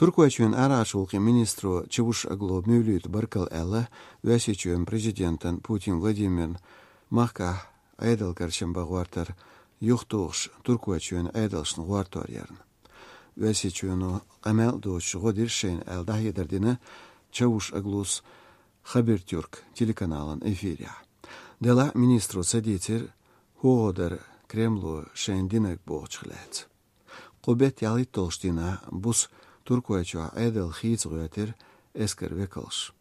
Turkuaçyön araşulqi ministru Çavuş Aglo Mevlüt Barkal elle Vəsiçyön prezidenten Putin Vladimir Mahka aydal karşamba guartar yuxtuğuş Turkuaçyön aydalşın guartar yarın. Vəsiçyönü qamel doğuş godir şeyin eldah yederdine Çavuş Aglus Habertürk telekanalın efirya. Dela ministru saditir Hoğodar Kremlu şeyin dinek boğçıqlayat. Qubet yalit tolştina bus Turkuaço aydal xiz guyatir esker vekalş.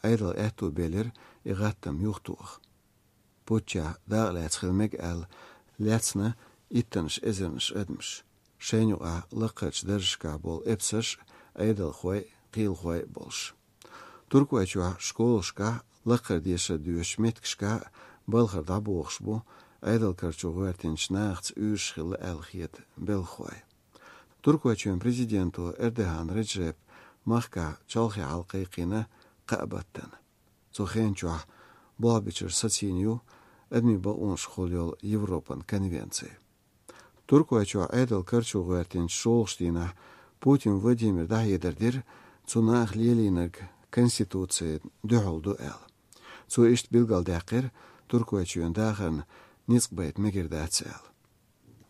Aydal ehtu belir igattam yuxtuğ. Puça dağlayat xilmek el letsna ittanış ezerniş edmiş. Şeynuğa laqaç darışka bol epsaş aydal xoy qil xoy bolş. Turkuaço şkoluşka laqar diyşa düş metkişka balxarda boğış bu aydal karço guartinç nağts üşxil elxiyet belxoy. Turkuaçyön prezidentu Erdoğan Recep Mahka çalxi halqayqina qabattan. Soxenço Blabiçer Satsiniu admi balunş xolyol Evropan konvensiya. Turkuaço aydal karço guartinç şolştina Putin Vladimir dahyedardir цунах лелинерг конституция дөхолду el. Цу ишт билгал дақир Turkuaçyön dağın nisbayet megirdatsel.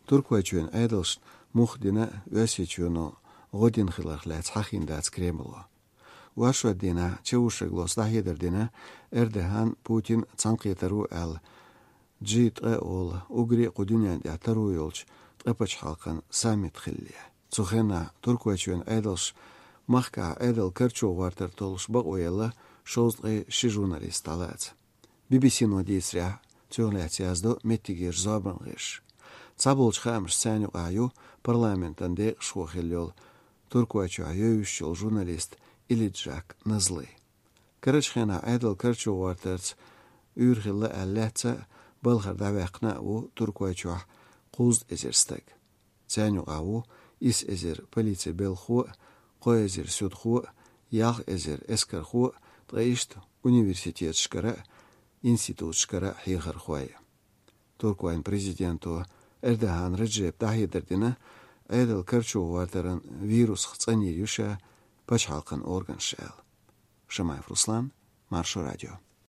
Turkuaçyön aydalş muhdina Vəsiçyönü godin xilaqlat xaxindats Kremlu. Vaşva dina Çavuşaglos dahyederdina Erdoğan Putin canqiyataru el G3 ol Ugri qudunyan yataru yolç qapaç halqan summit xilliya. Cuxena Turkuaçyön aydalş Mahka aydal karço vartar tolş baq oyala şozqi şi jurnalist alats. BBC-no disria Цöğlet yazdı mettigir zabanğış. Çabolç xamş səni ayu parlamentan de şoxelyol Turkuaço ayöyüşçol jurnalist İlicak Nazlı. Karaçxena aydal karço vartarts ürxilla allatsa balxar davaqna u Turkuaço quz ezerstak. Səni ayu is ezer politsiya belxu qoy ezer südxu yağ ezer eskarxu tayışt universitet şkara institut şkara hiğar xoy. Turkuayın prezidentu Erdoğan Recep dahyederdine aydal karço vartaran virus xçanirişa paç halqan organ şel. Şamayev Ruslan, Marşo Radio.